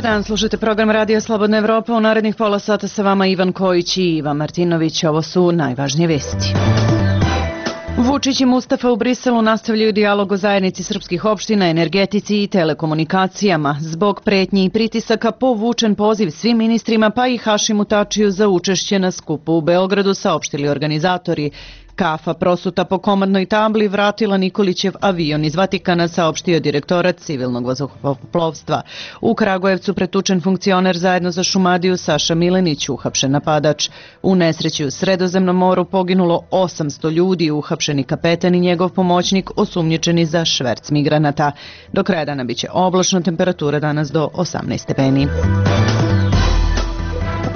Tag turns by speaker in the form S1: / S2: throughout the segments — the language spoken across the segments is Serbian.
S1: Dobar dan, slušajte program Radija Slobodna Evropa. U narednih pola sata sa vama Ivan Kojić i Ivan Martinović. Ovo su najvažnije vesti. Vučić i Mustafa u Briselu nastavljaju dijalog o zajednici srpskih opština, energetici i telekomunikacijama. Zbog pretnji i pritisaka povučen poziv svim ministrima pa i Hašimu Tačiju za učešće na skupu u Beogradu, saopštili organizatori. Kafa prosuta po komandnoj tabli vratila Nikolićev avion iz Vatikana, saopštio direktorat civilnog vazduhoplovstva. U Kragujevcu pretučen funkcioner zajedno za Šumadiju Saša Milenić, uhapšen napadač. U nesreći u Sredozemnom moru poginulo 800 ljudi, uhapšeni kapetan i njegov pomoćnik osumnjičeni za šverc migranata. Do kraja dana biće oblačno, temperatura danas do 18 stepeni.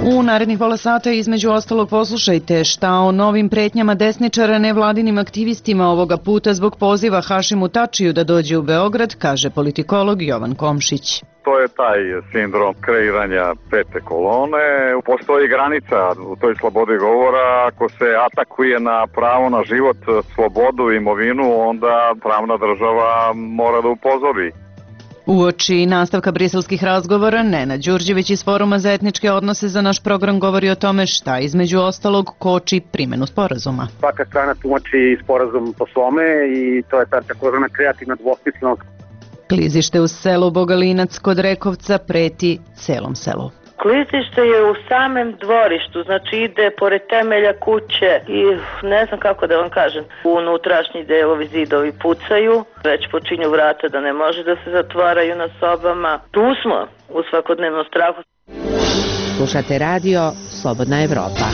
S1: U narednih pola sata između ostalog poslušajte šta o novim pretnjama desničara nevladinim aktivistima ovoga puta zbog poziva Hašimu Tačiju da dođe u Beograd, kaže politikolog Jovan Komšić.
S2: To je taj sindrom kreiranja pete kolone. Postoji granica u toj slobodi govora. Ako se atakuje na pravo na život, slobodu i imovinu, onda pravna država mora da upozori.
S1: Uoči nastavka briselskih razgovora, Nenad Đurđević iz Foruma za etničke odnose za naš program govori o tome šta između ostalog koči primjenu sporazuma.
S3: Svaka strana tumači sporazum po svome i to je ta takozvana kreativna dvosmislenost.
S1: Klizište u selu Bogalinac kod Rekovca preti celom selu.
S4: Klizište je u samem dvorištu, znači ide pored temelja kuće i ne znam kako da vam kažem, unutrašnji delovi zidovi pucaju, već počinju vrata da ne može da se zatvaraju na sobama. Tu smo u svakodnevnom strahu.
S5: Slušate radio Slobodna Evropa.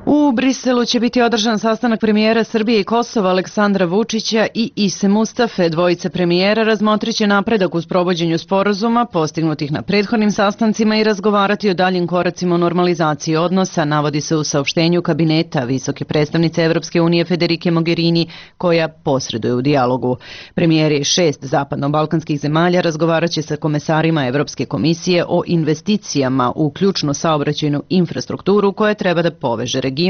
S1: U Briselu će biti održan sastanak premijera Srbije i Kosova Aleksandra Vučića i Ise Mustafe. Dvojica premijera razmotrit će napredak u sprovođenju sporazuma postignutih na prethodnim sastancima i razgovarati o daljim koracima u normalizaciji odnosa, navodi se u saopštenju kabineta visoke predstavnice Evropske unije Federike Mogherini, koja posreduje u dijalogu. Premijeri 6 zapadno-balkanskih zemalja razgovarat će sa komesarima Evropske komisije o investicijama u ključnu saobraćajnu infrastrukturu koja treba da poveže region.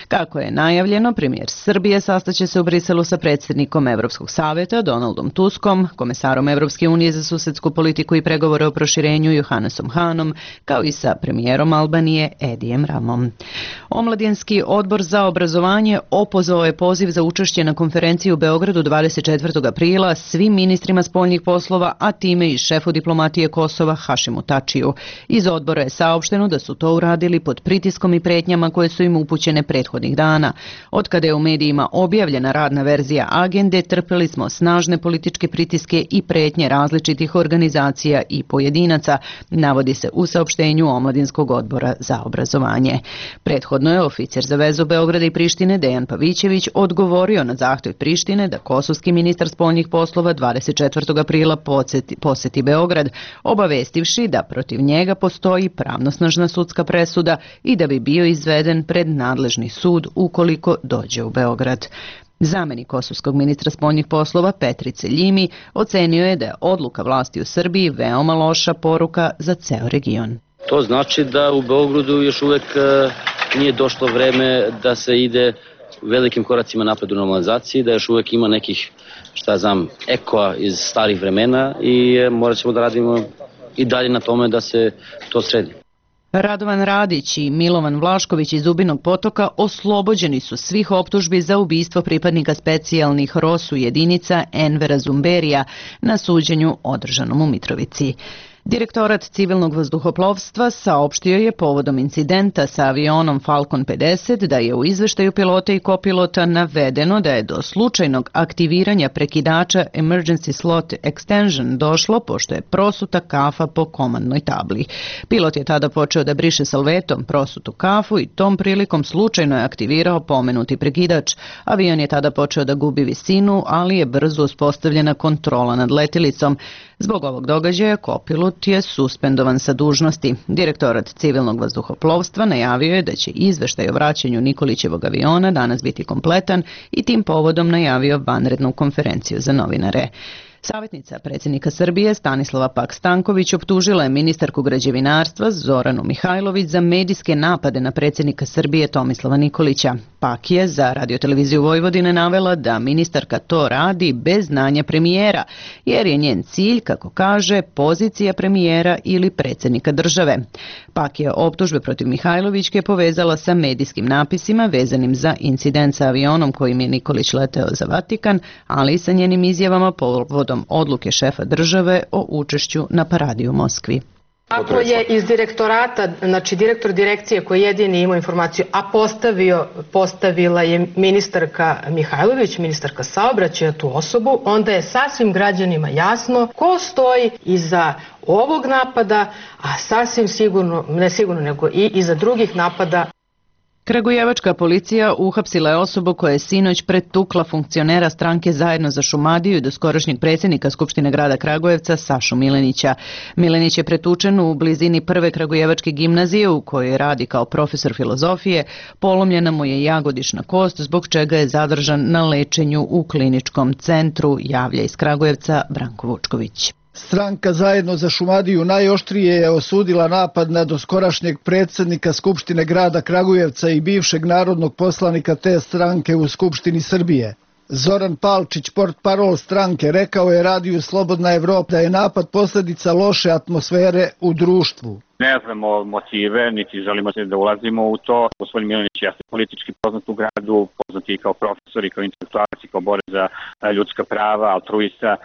S1: Kako je najavljeno, premijer Srbije sastaće se u Briselu sa predsjednikom Evropskog savjeta Donaldom Tuskom, komesarom Evropske unije za susedsku politiku i pregovore o proširenju Johannesom Hanom, kao i sa premijerom Albanije Edijem Ramom. Omladinski odbor za obrazovanje opozvao je poziv za učešće na konferenciji u Beogradu 24. aprila svim ministrima spoljnih poslova, a time i šefu diplomatije Kosova Hašimu Tačiju. Iz odbora je saopšteno da su to uradili pod pritiskom i pretnjama koje su im upućene prethodnih dana. Od kada je u medijima objavljena radna verzija agende, trpeli smo snažne političke pritiske i pretnje različitih organizacija i pojedinaca, navodi se u saopštenju Omladinskog odbora za obrazovanje. Prethodno je oficir za vezu Beograda i Prištine Dejan Pavićević odgovorio na zahtev Prištine da kosovski ministar spoljnih poslova 24. aprila poseti Beograd, obavestivši da protiv njega postoji pravnosnažna sudska presuda i da bi bio izveden pred nadležni sud ukoliko dođe u Beograd. Zamenik kosovskog ministra spoljnih poslova Petrice Ljimi ocenio je da je odluka vlasti u Srbiji veoma loša poruka za ceo region.
S6: To znači da u Beogradu još uvek nije došlo vreme da se ide velikim koracima napred u normalizaciji, da još uvek ima nekih, ekoa iz starih vremena i morat ćemo da radimo i dalje na tome da se to sredi.
S1: Radovan Radić i Milovan Vlašković iz Zubinog Potoka oslobođeni su svih optužbi za ubistvo pripadnika specijalnih ROSU jedinica Envera Zumberija na suđenju održanom u Mitrovici. Direktorat civilnog vazduhoplovstva saopštio je povodom incidenta sa avionom Falcon 50 da je u izveštaju pilota i kopilota navedeno da je do slučajnog aktiviranja prekidača Emergency Slot Extension došlo pošto je prosuta kafa po komandnoj tabli. Pilot je tada počeo da briše salvetom prosutu kafu i tom prilikom slučajno je aktivirao pomenuti prekidač. Avion je tada počeo da gubi visinu, ali je brzo uspostavljena kontrola nad letilicom. Zbog ovog događaja kopilot je suspendovan sa dužnosti. Direktorat civilnog vazduhoplovstva najavio je da će izveštaj o vraćanju Nikolićevog aviona danas biti kompletan i tim povodom najavio vanrednu konferenciju za novinare. Savjetnica predsjednika Srbije Stanislava Pak-Stanković optužila je ministarku građevinarstva Zoranu Mihajlović za medijske napade na predsjednika Srbije Tomislava Nikolića. Pak je za radioteleviziju Vojvodine navela da ministarka to radi bez znanja premijera, jer je njen cilj, kako kaže, pozicija premijera ili predsjednika države. Pak je optužbe protiv Mihajlovićke povezala sa medijskim napisima vezanim za incident sa avionom kojim je Nikolić leteo za Vatikan, ali i sa njenim izjavama povodom odluke šefa države o učešću na paradi u Moskvi.
S7: Ako je iz direktorata, znači direktor direkcije koji jedini imao informaciju, a postavila je ministarka Mihajlović, ministarka saobraćaja, tu osobu, onda je sasvim građanima jasno ko stoji iza ovog napada, a sasvim sigurno, ne sigurno nego i iza drugih napada.
S1: Kragujevačka policija uhapsila je osobu koja je sinoć pretukla funkcionera stranke Zajedno za Šumadiju i doskorašnjeg predsjednika Skupštine grada Kragujevca Sašu Milenića. Milenić je pretučen u blizini prve kragujevačke gimnazije u kojoj radi kao profesor filozofije. Polomljena mu je jagodišna kost, zbog čega je zadržan na lečenju u kliničkom centru, javlja iz Kragujevca Branko Vučković.
S8: Stranka Zajedno za Šumadiju najoštrije je osudila napad na doskorašnjeg predsjednika Skupštine grada Kragujevca i bivšeg narodnog poslanika te stranke u Skupštini Srbije. Zoran Palčić, portparol stranke, rekao je radiju Slobodna Evropa da je napad posljedica loše atmosfere u društvu.
S9: Ne znamo motive, niti želimo da ulazimo u to. Gospodin Milenić je politički poznat u gradu, poznat i kao profesor i kao intelektualac i kao borac za ljudska prava, altruista.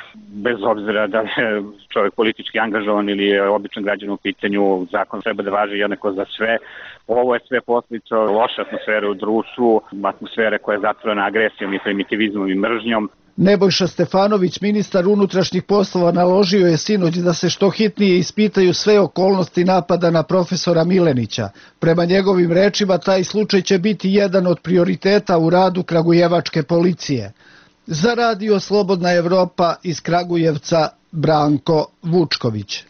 S9: Bez obzira da je čovjek politički angažovan ili je običan građan u pitanju, zakon treba da važi jednako za sve. Ovo je sve posljedica loše atmosfere u društvu, atmosfere koja je zatvorena agresijom i primitivizmom i mržnjom.
S8: Nebojša Stefanović, ministar unutrašnjih poslova, naložio je sinoć da se što hitnije ispitaju sve okolnosti napada na profesora Milenića. Prema njegovim rečima, taj slučaj će biti jedan od prioriteta u radu kragujevačke policije. Za radio Slobodna Evropa iz Kragujevca Branko Vučković.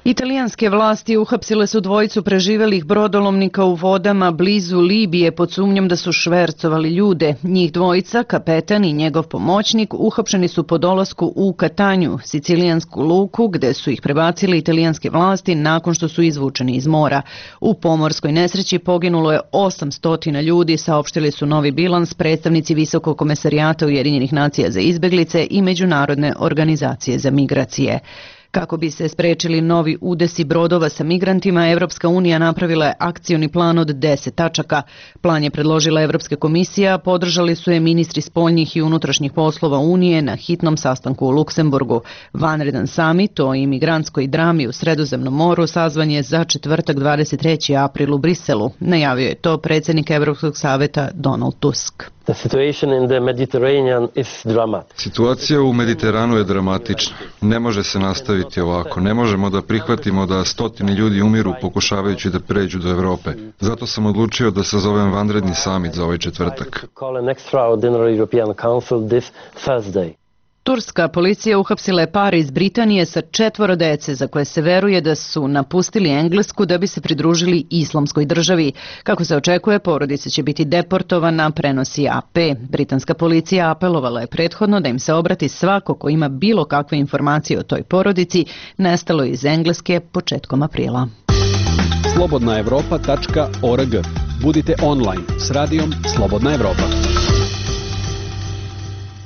S1: Italijanske vlasti uhapsile su dvojicu preživelih brodolomnika u vodama blizu Libije pod sumnjom da su švercovali ljude. Njih dvojica, kapetan i njegov pomoćnik, uhapšeni su po dolasku u Katanju, sicilijansku luku, gde su ih prebacili italijanske vlasti nakon što su izvučeni iz mora. U pomorskoj nesreći poginulo je 800 ljudi, saopštili su novi bilans predstavnici Visokog komesarijata Ujedinjenih nacija za izbeglice i Međunarodne organizacije za migracije. Kako bi se sprečili novi udesi brodova sa migrantima, Evropska unija napravila je akcioni plan od 10 tačaka. Plan je predložila Evropska komisija, podržali su je ministri spoljnih i unutrašnjih poslova Unije na hitnom sastanku u Luksemburgu. Vanredan samit o imigrantskoj drami u Sredozemnom moru sazvan je za četvrtak 23. april u Briselu. Najavio je to predsjednik Evropskog saveta Donald Tusk.
S10: Situacija u Mediteranu je dramatična. Ne može se nastaviti ovako. Ne možemo da prihvatimo da stotine ljudi umiru pokušavajući da pređu do Evrope. Zato sam odlučio da sazovem vanredni samit za ovaj četvrtak.
S1: Turska policija uhapsila je par iz Britanije sa 4 dece za koje se veruje da su napustili Englesku da bi se pridružili Islamskoj državi. Kako se očekuje, porodica će biti deportovana, prenosi AP. Britanska policija apelovala je prethodno da im se obrati svako ko ima bilo kakve informacije o toj porodici, nestalo iz Engleske početkom aprila.
S11: slobodnaevropa.org. Budite online s radijom Slobodna Evropa.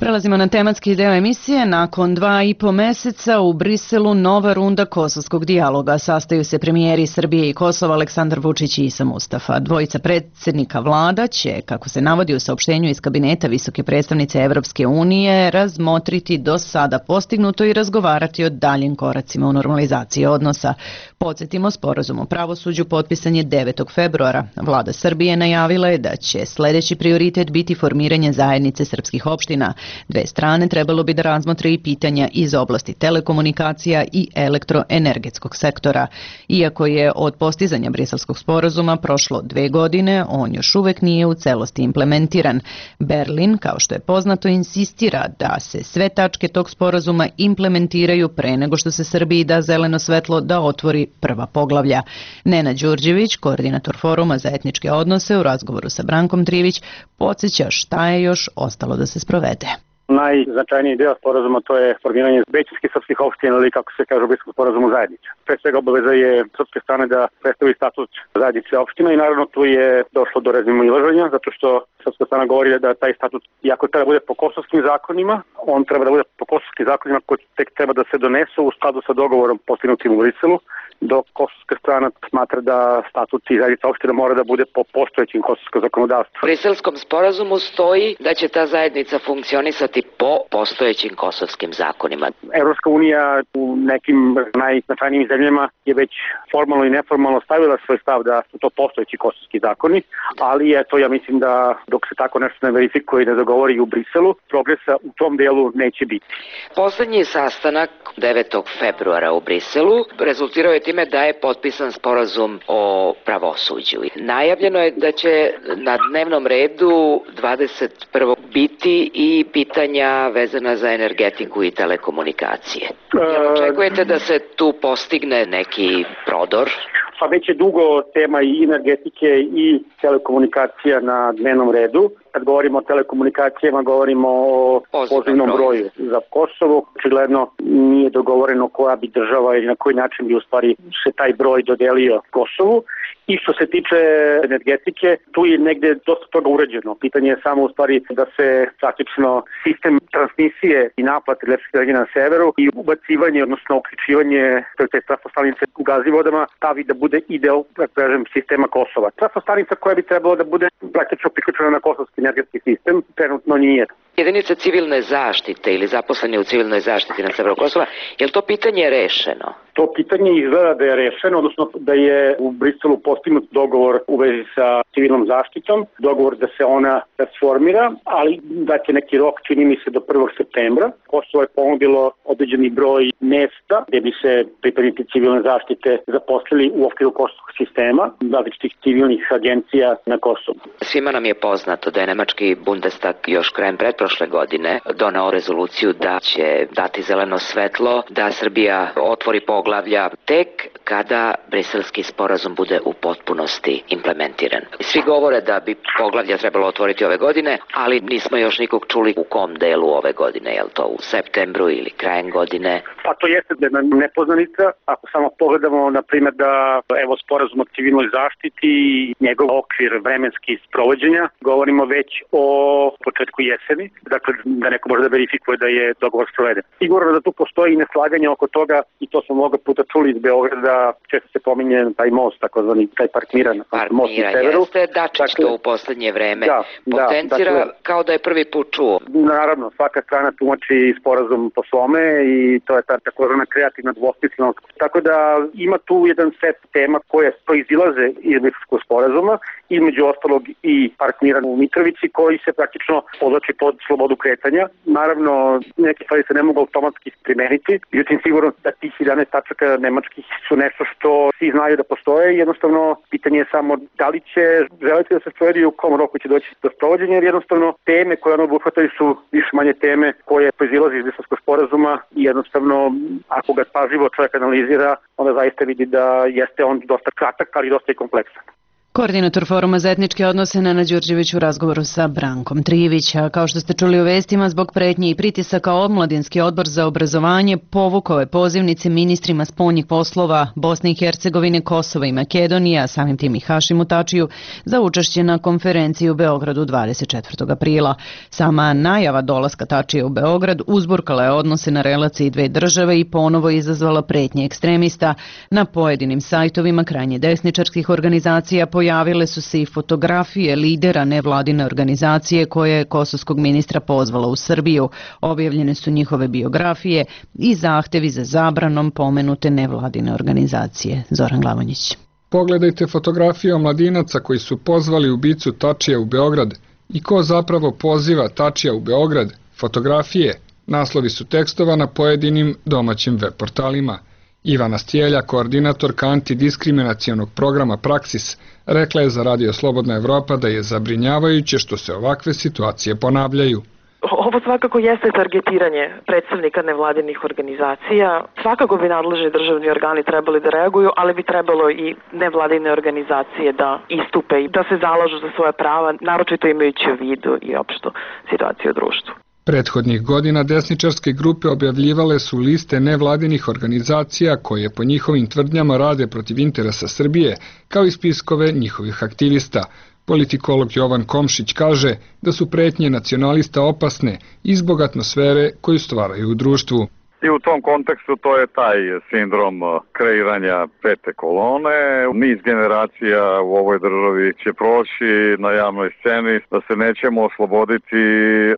S1: Prelazimo na tematski deo emisije. Nakon 2,5 meseca u Briselu nova runda kosovskog dijaloga. Sastaju se premijeri Srbije i Kosova Aleksandar Vučić i Isa Mustafa. Dvojica predsjednika vlada će, kako se navodi u saopštenju iz kabineta visoke predstavnice Evropske unije, razmotriti do sada postignuto i razgovarati o daljim koracima u normalizaciji odnosa. Podsjetimo, sporazum o pravosuđu potpisan je 9. februara. Vlada Srbije najavila je da će sljedeći prioritet biti formiranje zajednice srpskih opština. Dve strane trebalo bi da razmotre i pitanja iz oblasti telekomunikacija i elektroenergetskog sektora. Iako je od postizanja Briselskog sporazuma prošlo 2 godine, on još uvek nije u celosti implementiran. Berlin, kao što je poznato, insistira da se sve tačke tog sporazuma implementiraju pre nego što se Srbiji da zeleno svetlo da otvori prva poglavlja. Nenad Đurđević, koordinator Foruma za etničke odnose, u razgovoru sa Brankom Trivić, podsjeća šta je još ostalo da se sprovede.
S3: Najznačajniji deo sporazuma to je formiranje većinskih srpskih opština ili kako se kaže u Briselskom sporazumu zajednice. Pre svega obaveza je srpske strane da predstavi statut zajednice opština i naravno tu je došlo do razmimoilaženja zato što srpska strana govori da taj statut, iako treba da bude po kosovskim zakonima, on treba da bude po kosovskim zakonima koji tek treba da se donesu u skladu sa dogovorom postignutim u Briselu, dok kosovska strana smatra da statut i zajednica opština mora da bude po postojećim kosovskom zakonodavstvu.
S12: U Briselskom sporazumu stoji da će ta zajednica funkcionisati po postojećim kosovskim zakonima.
S3: Evropska unija u nekim najznačajnijim zemljama je već formalno i neformalno stavila svoj stav da su to postojeći kosovski zakoni, ali eto ja mislim da dok se tako nešto ne verifikuje i ne dogovori u Briselu, progresa u tom delu neće biti.
S12: Poslednji sastanak 9. februara u Briselu rezultirao je time da je potpisan sporazum o pravosuđu. Najavljeno je da će na dnevnom redu 21. biti i pitanja vezana za energetiku i telekomunikacije. Očekujete da se tu postigne neki prodor?
S3: Pa već je dugo tema i energetike i telekomunikacija na dnevnom redu. Kad govorimo o telekomunikacijama, govorimo o pozivnom broju za Kosovo. Očigledno nije dogovoreno koja bi država ili na koji način bi u stvari se taj broj dodelio Kosovu. I što se tiče energetike, tu je negde dosta toga urađeno. Pitanje je samo u stvari da se praktično sistem transmisije i naplate električne energije na severu i ubacivanje, odnosno uključivanje te trafostanice u Gazivodama stavi da bude i deo, da kažem, sistema Kosova. Trafostanica koja bi trebalo da bude praktično priključena na kosovski energetski sistem, trenutno nije.
S12: Jedinice civilne zaštite ili zaposleni u civilnoj zaštiti na severu Kosova, je li to pitanje rešeno?
S3: To pitanje izgleda da je rešeno, odnosno da je u Briselu postignut dogovor u vezi sa civilnom zaštitom, dogovor da se ona transformira, ali da će neki rok, čini mi se, do 1. septembra. Kosovo je ponudilo određeni broj mesta gde bi se pripadnici civilne zaštite zaposlili u okviru kosovskog sistema, različitih civilnih agencija na Kosovu.
S12: Svima nam je poznato da je nemački Bundestag još krajem pretprošle godine doneo rezoluciju da će dati zeleno svetlo da Srbija otvori poglavlja tek kada briselski sporazum bude u potpunosti implementiran. Svi govore da bi poglavlja trebalo otvoriti ove godine, ali nismo još nikog čuli u kom delu ove godine, je li to u septembru ili krajem godine?
S3: Pa to jeste da je nepoznanica. Ako samo pogledamo, na primjer, da evo sporazum o civilnoj zaštiti i njegov okvir vremenski sprovođenja, govorimo već o početku jeseni, dakle da neko može da verifikuje da je dogovor sproveden. Sigurno da tu postoji neslaganje oko toga i to smo mnogo puta čuli iz Beograda, često se pominje taj most, takozvani taj parkmiran most na severu.
S12: Jeste, Dačić to u poslednje vreme potencira kao da je prvi put čuo.
S3: Naravno, svaka strana tumači sporazum po svome i to je ta takozvana kreativna dvosmislenost. Tako da ima tu jedan set tema koje proizilaze iz Briselskog sporazuma, između ostalog i parkmiran u Mitrovici koji se praktično podlači pod slobodu kretanja. Naravno, neke stvari se ne mogu automatski primeniti, međutim sigurno da tih 11 tačaka nemačkih su nešto što svi znaju da postoje. Jednostavno, pitanje je samo da li će želiti da se sprovedi u kom roku će doći do sprovođenja, jer jednostavno teme koje ono obuhvataju su više manje teme koje proizilaze iz Briselskog sporazuma i jednostavno ako ga pažljivo čovjek analizira, onda zaista vidi da jeste on dosta kratak, ali dosta i kompleksan.
S1: Koordinator Foruma za etničke odnose Nana Đurđević u razgovoru sa Brankom Trijevića. Kao što ste čuli u vestima, zbog pretnje i pritisaka Omladinski odbor za obrazovanje povukao je pozivnice ministrima spoljnih poslova Bosne i Hercegovine, Kosova i Makedonije, a samim tim i Hašimu Tačiju, za učešće na konferenciji u Beogradu 24. aprila. Sama najava dolaska Tačije u Beograd uzburkala je odnose na relaciji dve države i ponovo izazvala pretnje ekstremista. Na pojedinim sajtovima krajnje desničarskih organizacija pojavile su se i fotografije lidera nevladine organizacije koja je kosovskog ministra pozvala u Srbiju. Objavljene su njihove biografije i zahtevi za zabranom pomenute nevladine organizacije. Zoran Glavonjić.
S13: Pogledajte fotografije omladinaca koji su pozvali ubicu Tačija u Beograd i ko zapravo poziva Tačija u Beograd. Fotografije, naslovi su tekstova na pojedinim domaćim web portalima. Ivana Stjelja, koordinatorka antidiskriminacionog programa Praksis, rekla je za Radio Slobodna Evropa da je zabrinjavajuće što se ovakve situacije ponavljaju.
S14: Ovo svakako jeste targetiranje predstavnika nevladinih organizacija. Svakako bi nadležni državni organi trebali da reaguju, ali bi trebalo i nevladine organizacije da istupe i da se zalažu za svoje prava, naročito imajući u vidu i opštu situaciju u društvu.
S13: Prethodnih godina desničarske grupe objavljivale su liste nevladinih organizacija koje po njihovim tvrdnjama rade protiv interesa Srbije, kao i spiskove njihovih aktivista. Politikolog Jovan Komšić kaže da su pretnje nacionalista opasne i zbog atmosfere koju stvaraju u društvu.
S2: I u tom kontekstu to je taj sindrom kreiranja pete kolone. Niz generacija u ovoj državi će proći na javnoj sceni da se nećemo osloboditi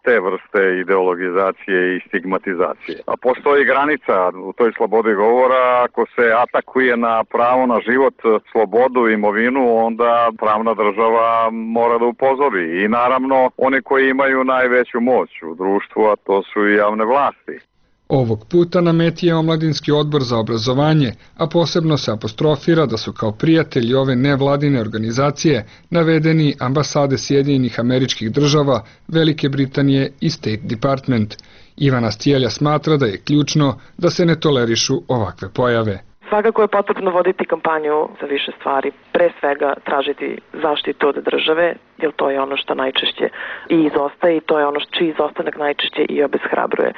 S2: te vrste ideologizacije i stigmatizacije. A postoji granica u toj slobodi govora. Ako se atakuje na pravo na život, slobodu i imovinu, onda pravna država mora da upozori. I naravno, oni koji imaju najveću moć u društvu, a to su i javne vlasti.
S13: Ovog puta na meti je Omladinski odbor za obrazovanje, a posebno se apostrofira da su kao prijatelji ove nevladine organizacije navedeni ambasade Sjedinjenih Američkih Država, Velike Britanije i State Department. Ivana Stjelja smatra da je ključno da se ne tolerišu ovakve pojave.
S14: Svakako je potrebno voditi kampanju za više stvari. Pre svega tražiti zaštitu od države, jer to je ono što najčešće i izostaje i to je ono čiji izostanak najčešće i obeshrabruje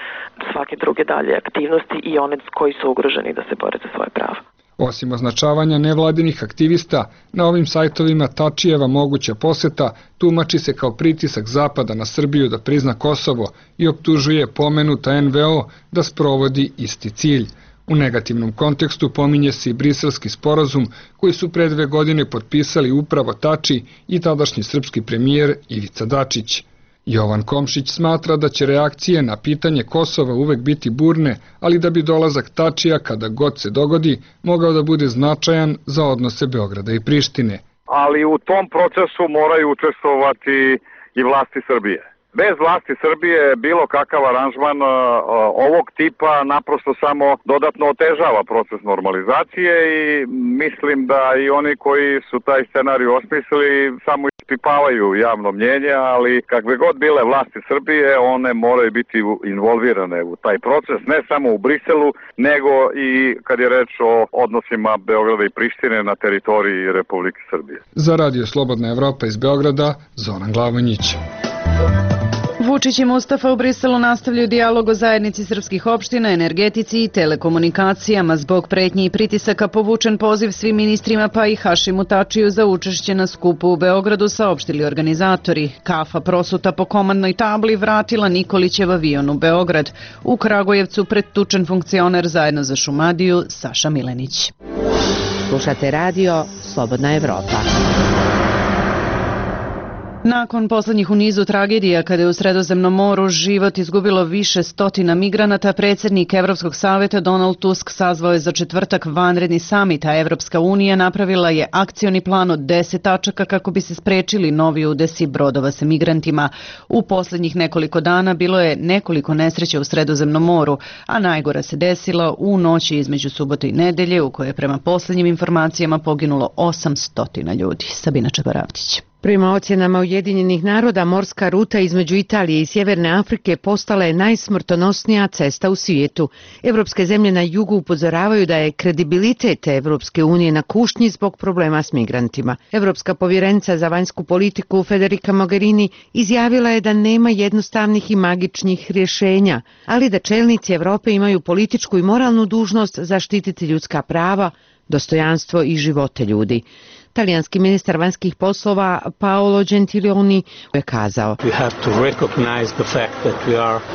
S14: svake druge dalje aktivnosti i one koji su ugroženi da se bore za svoje pravo.
S13: Osim označavanja nevladinih aktivista, na ovim sajtovima Tačijeva moguća poseta tumači se kao pritisak Zapada na Srbiju da prizna Kosovo i optužuje pomenuta NVO da sprovodi isti cilj. U negativnom kontekstu pominje se i briselski sporazum koji su pre 2 godine potpisali upravo Tači i tadašnji srpski premijer Ivica Dačić. Jovan Komšić smatra da će reakcije na pitanje Kosova uvek biti burne, ali da bi dolazak Tačija kada god se dogodi mogao da bude značajan za odnose Beograda i Prištine.
S2: Ali u tom procesu moraju učestvovati i vlasti Srbije. Bez vlasti Srbije bilo kakav aranžman ovog tipa naprosto samo dodatno otežava proces normalizacije i mislim da i oni koji su taj scenarij osmislili samo ispipavaju javno mnjenje, ali kakve god bile vlasti Srbije, one moraju biti involvirane u taj proces, ne samo u Briselu, nego i kad je reč o odnosima Beograda i Prištine na teritoriji Republike Srbije.
S13: Za Radio Slobodna Evropa iz Beograda, Zoran Glavonjić.
S1: Vučić i Mustafa u Briselu nastavljaju dijalog o zajednici srpskih opština, energetici i telekomunikacijama. Zbog pretnji i pritisaka povučen poziv svim ministrima pa i Hašimu Tačiju za učešće na skupu u Beogradu, saopštili organizatori. Kafa prosuta po komandnoj tabli vratila Nikolićev avion u Beograd. U Kragujevcu pretučen funkcioner zajedno za Šumadiju Saša Milenić.
S5: Slušate radio Slobodna Evropa.
S1: Nakon poslednjih u nizu tragedija kada je u Sredozemnom moru život izgubilo više stotina migranata, predsjednik Evropskog saveta Donald Tusk sazvao je za četvrtak vanredni samit, a Evropska unija napravila je akcioni plan od 10 tačaka kako bi se sprečili novi udesi brodova sa migrantima. U poslednjih nekoliko dana bilo je nekoliko nesreća u Sredozemnom moru, a najgora se desila u noći između subote i nedelje u kojoj je prema poslednjim informacijama poginulo 800 ljudi. Sabina Čabaravtić.
S5: Prema ocjenama Ujedinjenih naroda, morska ruta između Italije i Sjeverne Afrike postala je najsmrtonosnija cesta u svijetu. Evropske zemlje na jugu upozoravaju da je kredibilitet Evropske unije na kušnji zbog problema s migrantima. Evropska povjerenica za vanjsku politiku Federica Mogherini izjavila je da nema jednostavnih i magičnih rješenja, ali da čelnici Evrope imaju političku i moralnu dužnost zaštititi ljudska prava, dostojanstvo i živote ljudi. Talijanski ministar vanjskih poslova Paolo Gentiloni je kazao: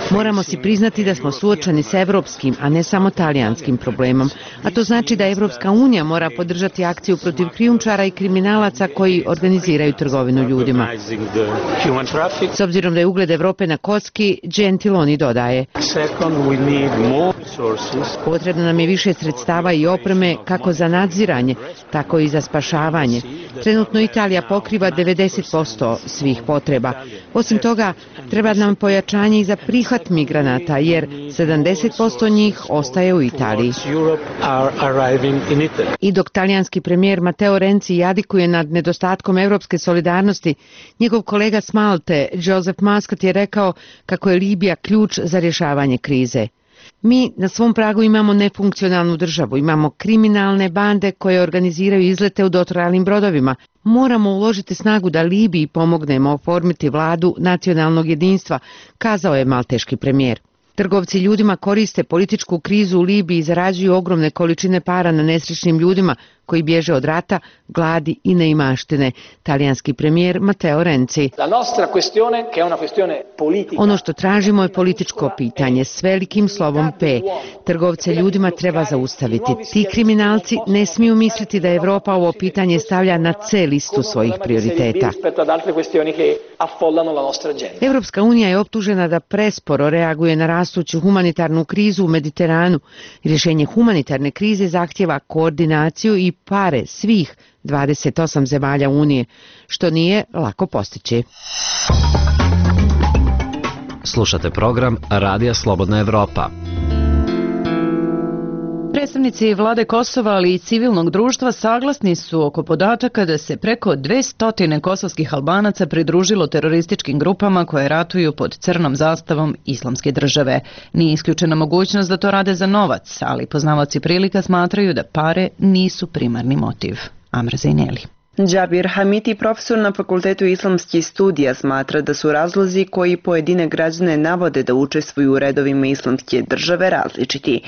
S5: moramo si priznati da smo suočeni s evropskim, a ne samo talijanskim problemom, a to znači da Evropska unija mora podržati akciju protiv krijumčara i kriminalaca koji organiziraju trgovinu ljudima. S obzirom da je ugled Evrope na kocki, Gentiloni dodaje: potrebno nam je više sredstava i opreme kako za nadziranje, tako i za spašavanje. Trenutno Italija pokriva 90% svih potreba. Osim toga, treba nam pojačanje i za prihvat migranata, jer 70% njih ostaje u Italiji. I dok talijanski premijer Matteo Renzi jadikuje nad nedostatkom evropske solidarnosti, njegov kolega s Malte, Joseph Muscat, je rekao kako je Libija ključ za rješavanje krize. Mi na svom pragu imamo nefunkcionalnu državu, imamo kriminalne bande koje organiziraju izlete u dotrajalim brodovima. Moramo uložiti snagu da Libiji pomognemo oformiti vladu nacionalnog jedinstva, kazao je malteški premijer. Trgovci ljudima koriste političku krizu u Libiji i zarađuju ogromne količine para na nesrećnim ljudima koji bježe od rata, gladi i neimaštine. Talijanski premijer Matteo Renzi. Ono što tražimo je političko pitanje s velikim slovom P. Trgovce ljudima treba zaustaviti. Ti kriminalci ne smiju misliti da Evropa ovo pitanje stavlja na C listu svojih prioriteta. Evropska unija je optužena da presporo reaguje na rastuću humanitarnu krizu u Mediteranu. Rješenje humanitarne krize zahtjeva koordinaciju i pare svih 28 zemalja Unije, što nije lako postići.
S15: Slušate program Radija Slobodna Evropa.
S1: Predstavnici vlade Kosova, ali i civilnog društva saglasni su oko podataka da se preko 200 kosovskih Albanaca pridružilo terorističkim grupama koje ratuju pod crnom zastavom Islamske države. Nije isključena mogućnost da to rade za novac, ali poznavaoci prilika smatraju da pare nisu primarni motiv. Amra Zaineli.
S16: Džabir Hamiti, profesor na Fakultetu islamskih studija, smatra da su razlozi koji pojedine građane navode da učestvuju u redovima Islamske države različiti.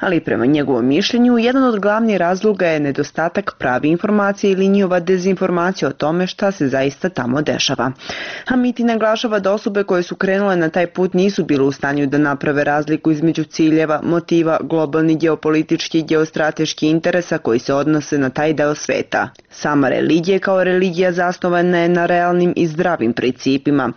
S16: Ali prema njegovom mišljenju, jedan od glavnih razloga je nedostatak pravi informacije ili njihova dezinformacija o tome šta se zaista tamo dešava. Hamiti naglašava da osobe koje su krenule na taj put nisu bile u stanju da naprave razliku između ciljeva, motiva, globalnih geopolitičkih i geostrateških interesa koji se odnose na taj deo sveta. Sama religija kao religija zasnovana je na realnim i zdravim principima.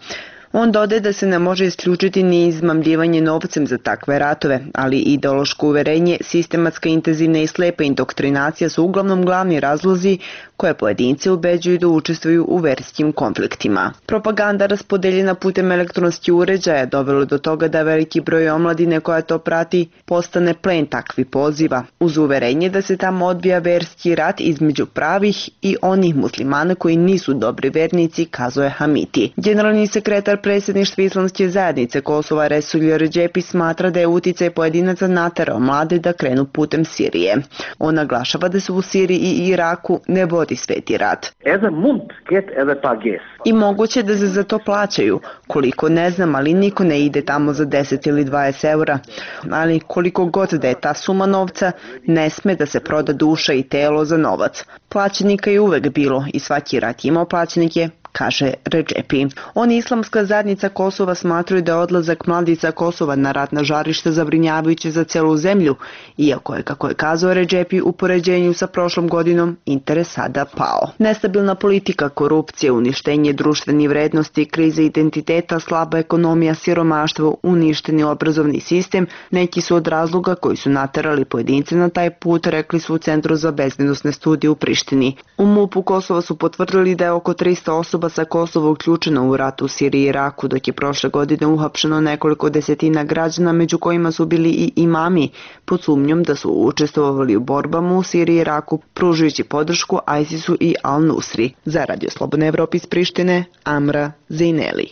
S16: On dodaje da se ne može isključiti ni izmamljivanje novcem za takve ratove, ali ideološko uverenje, sistematska, intenzivna i slepa indoktrinacija su uglavnom glavni razlozi koje pojedince ubeđuju da učestvuju u verskim konfliktima. Propaganda raspodeljena putem elektronskih uređaja dovelo do toga da veliki broj omladine koja to prati postane plen takvih poziva, uz uverenje da se tamo odvija verski rat između pravih i onih muslimana koji nisu dobri vernici, kazuje Hamiti. Generalni sekretar predsjedništva Islamske zajednice Kosova Resulje Redžepi smatra da je uticaj pojedinaca naterao mlade da krenu putem Sirije. On naglašava da se u Siriji i Iraku ne vodi sveti rat. I moguće da se za to plaćaju. Koliko ne znam, ali niko ne ide tamo za 10 ili 20 eura. Ali koliko god da je ta suma novca, ne sme da se proda duša i telo za novac. Plaćenika je uvek bilo i svaki rat imao plaćenike, kaže Redžepi. Oni Islamska zajednica Kosova smatraju da je odlazak mladica Kosova na ratna žarišta zabrinjavajuće za celu zemlju, iako je, kako je kazao Redžepi, u poređenju sa prošlom godinom interes sada pao. Nestabilna politika, korupcija, uništenje društvenih vrednosti, krize identiteta, slaba ekonomija, siromaštvo, uništeni obrazovni sistem, neki su od razloga koji su naterali pojedince na taj put, rekli su u Centru za bezbednosne studije u Prištini. U MUP-u Kosova su potvrdili da je oko 300 osoba sa Kosova uključeno u rat u Siriji i Iraku, dok je prošle godine uhapšeno nekoliko desetina građana, među kojima su bili i imami, pod sumnjom da su učestvovali u borbama u Siriji i Iraku, pružujući podršku ISIS-u i Al-Nusri. Za Radio Slobodna Evropa iz Prištine, Amra Zaineli.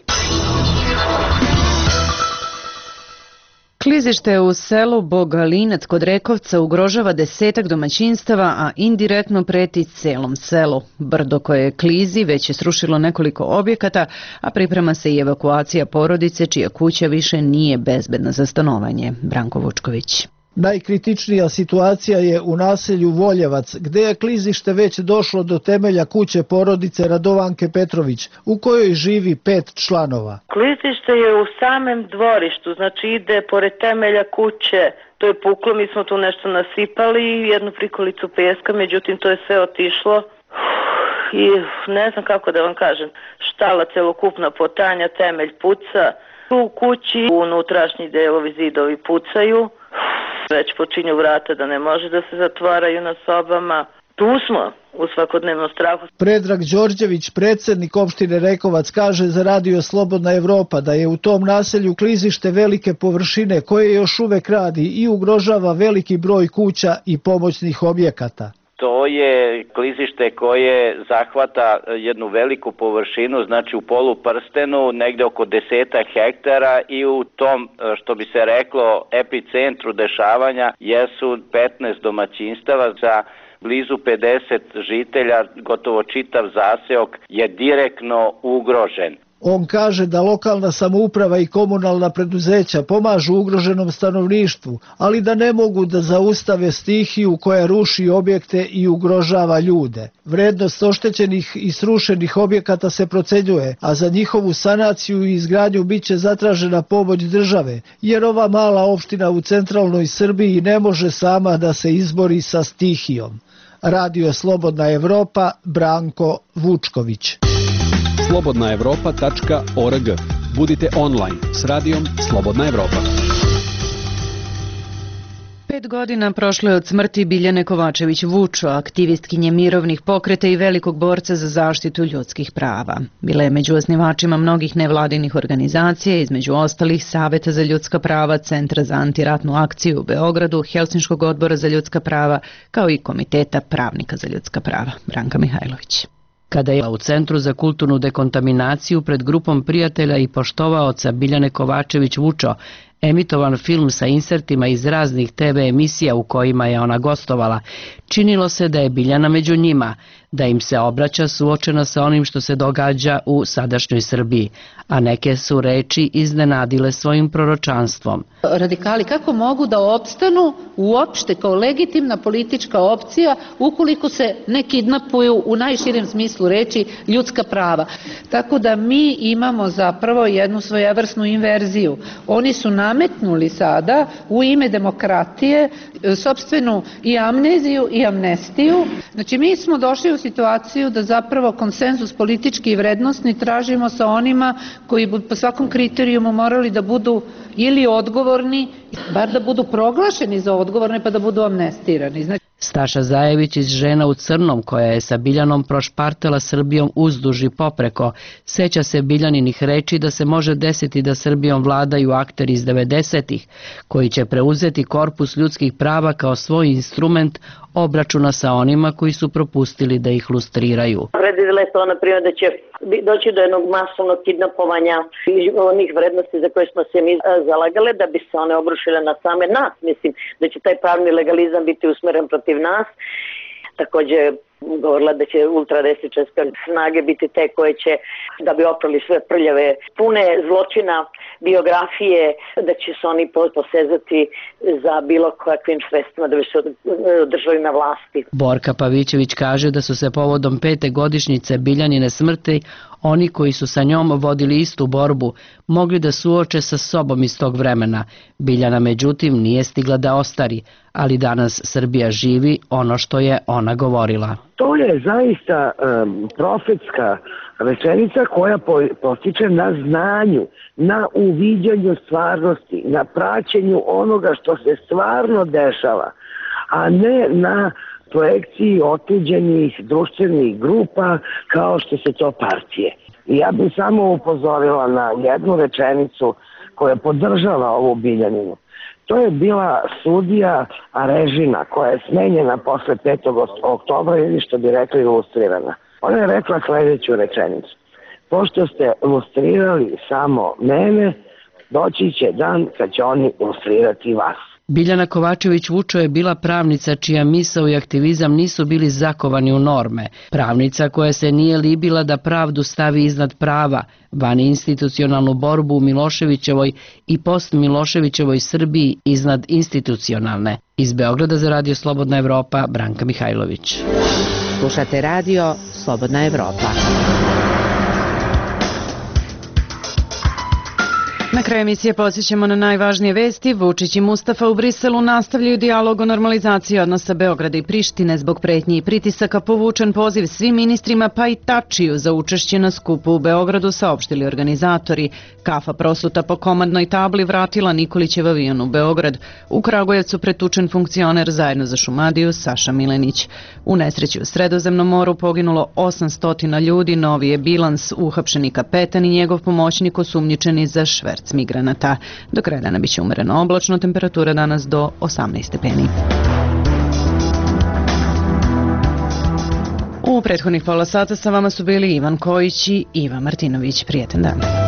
S1: Klizište u selu Bogalinac kod Rekovca ugrožava 10 domaćinstava, a indirektno preti celom selu. Brdo koje klizi već je srušilo nekoliko objekata, a priprema se i evakuacija porodice čija kuća više nije bezbedna za stanovanje. Branko Vučković.
S8: Najkritičnija situacija je u naselju Voljevac, gde je klizište već došlo do temelja kuće porodice Radovanke Petrović, u kojoj živi 5 članova.
S4: Klizište je u samem dvorištu, znači ide pored temelja kuće. To je puklo, mi smo tu nešto nasipali, jednu prikolicu peska, međutim to je sve otišlo. I ne znam kako da vam kažem, štala celokupna potanja, temelj puca. U kući unutrašnji delovi zidovi pucaju. Već počinju vrata da ne može da se zatvaraju na sobama. Tu smo u svakodnevnom strahu.
S8: Predrag Đorđević, predsjednik opštine Rekovac, kaže za Radio Slobodna Evropa da je u tom naselju klizište velike površine koje još uvek radi i ugrožava veliki broj kuća i pomoćnih objekata.
S17: To To je klizište koje zahvata jednu veliku površinu, znači u poluprstenu, negde oko 10 hektara i u tom, što bi se reklo, epicentru dešavanja jesu 15 domaćinstava za blizu 50 žitelja, gotovo čitav zaseok je direktno ugrožen.
S8: On kaže da lokalna samouprava i komunalna preduzeća pomažu ugroženom stanovništvu, ali da ne mogu da zaustave stihiju koja ruši objekte i ugrožava ljude. Vrednost oštećenih i srušenih objekata se procenjuje, a za njihovu sanaciju i izgradnju biće zatražena pomoć države, jer ova mala opština u centralnoj Srbiji ne može sama da se izbori sa stihijom. Radio Slobodna Evropa, Branko Vučković.
S11: slobodnaevropa.org. Budite online s radijom Slobodna Evropa.
S1: 5 godina prošlo je od smrti Biljane Kovačević Vučo, aktivistkinje mirovnih pokreta i velikog borca za zaštitu ljudskih prava. Bila je među osnivačima mnogih nevladinih organizacija, između ostalih Saveta za ljudska prava, Centra za antiratnu akciju u Beogradu, Helsinškog odbora za ljudska prava, kao i Komiteta pravnika za ljudska prava. Branka Mihajlović. Kada je u Centru za kulturnu dekontaminaciju pred grupom prijatelja i poštovaoca Biljane Kovačević Vučo emitovan film sa insertima iz raznih TV emisija u kojima je ona gostovala, činilo se da je Biljana među njima, da im se obraća suočena sa onim što se događa u sadašnjoj Srbiji, a neke su reči iznenadile svojim proročanstvom.
S18: Radikali kako mogu da opstanu uopšte kao legitimna politička opcija ukoliko se ne kidnapuju u najširem smislu reči ljudska prava. Tako da mi imamo zapravo jednu svojevrsnu inverziju. Oni su nametnuli sada u ime demokratije sopstvenu i amneziju i amnestiju. Znači mi smo došli u situaciju da zapravo konsenzus politički i vrednostni tražimo sa onima koji bi po svakom kriterijumu morali da budu ili odgovorni, bar da budu proglašeni za odgovorne pa da budu amnestirani. Znači,
S1: Staša Zajević iz Žena u crnom, koja je sa Biljanom prošpartela Srbijom uzduž i popreko, seća se Biljaninih reči da se može desiti da Srbijom vladaju akteri iz 90-ih, koji će preuzeti korpus ljudskih prava kao svoj instrument obračuna sa onima koji su propustili da ih lustriraju.
S19: Predvidela je to, na primjer, da će doći do jednog masovnog kidnapovanja onih vrednosti za koje smo se mi zalagale, da bi se one obrušile na same nas. Mislim da će taj pravni legalizam biti usmeren protiv nas. Takođe govorila da će ultradesničarske snage biti te koje će, da bi oprali sve prljave, pune zločina, biografije, da će se oni posezati za bilo kakvim sredstvima da bi se održali na vlasti.
S1: Borka Pavićević kaže da su se povodom 5. godišnjice Biljanine smrti oni koji su sa njom vodili istu borbu mogli da suoče sa sobom iz tog vremena. Biljana međutim nije stigla da ostari, ali danas Srbija živi ono što je ona govorila.
S20: To je zaista profetska rečenica koja postiče na znanju, na uviđanju stvarnosti, na praćenju onoga što se stvarno dešava, a ne na projekciji otuđenih društvenih grupa kao što su to partije. I ja bih samo upozorila na jednu rečenicu koja podržava ovu Biljaninu. To je bila sudija Arežina koja je smenjena posle 5. oktobra ili što bi rekli ilustrirana. Ona je rekla sledeću rečenicu. Pošto ste ilustrirali samo mene, doći će dan kad će oni ilustrirati vas.
S1: Biljana Kovačević Vučo je bila pravnica čija misao i aktivizam nisu bili zakovani u norme. Pravnica koja se nije libila da pravdu stavi iznad prava, van institucionalnu borbu u Miloševićevoj i post-Miloševićevoj Srbiji iznad institucionalne. Iz Beograda za Radio Slobodna Evropa, Branka Mihajlović.
S5: Slušate Radio Slobodna Evropa.
S1: Na kraju emisije podsjećamo na najvažnije vesti. Vučić i Mustafa u Briselu nastavljaju dijalog o normalizaciji odnosa Beograda i Prištine. Zbog pretnji i pritisaka povučen poziv svim ministrima pa i Tačiju za učešće na skupu u Beogradu, saopštili organizatori. Kafa prosuta po komandnoj tabli vratila Nikolićev avion u Beograd. U Kragujevcu pretučen funkcioner zajedno za Šumadiju Saša Milenić. U nesreći u Sredozemnom moru poginulo 800 ljudi, novi je bilans, uhapšeni kapetan i njegov pomoćnik osumnjičeni za šverc migranata. Do kraja dana biće umereno oblačno, temperatura danas do 18 stepeni. U prethodnih pola sata sa vama su bili Ivan Kojić i Iva Martinović. Prijetan dan.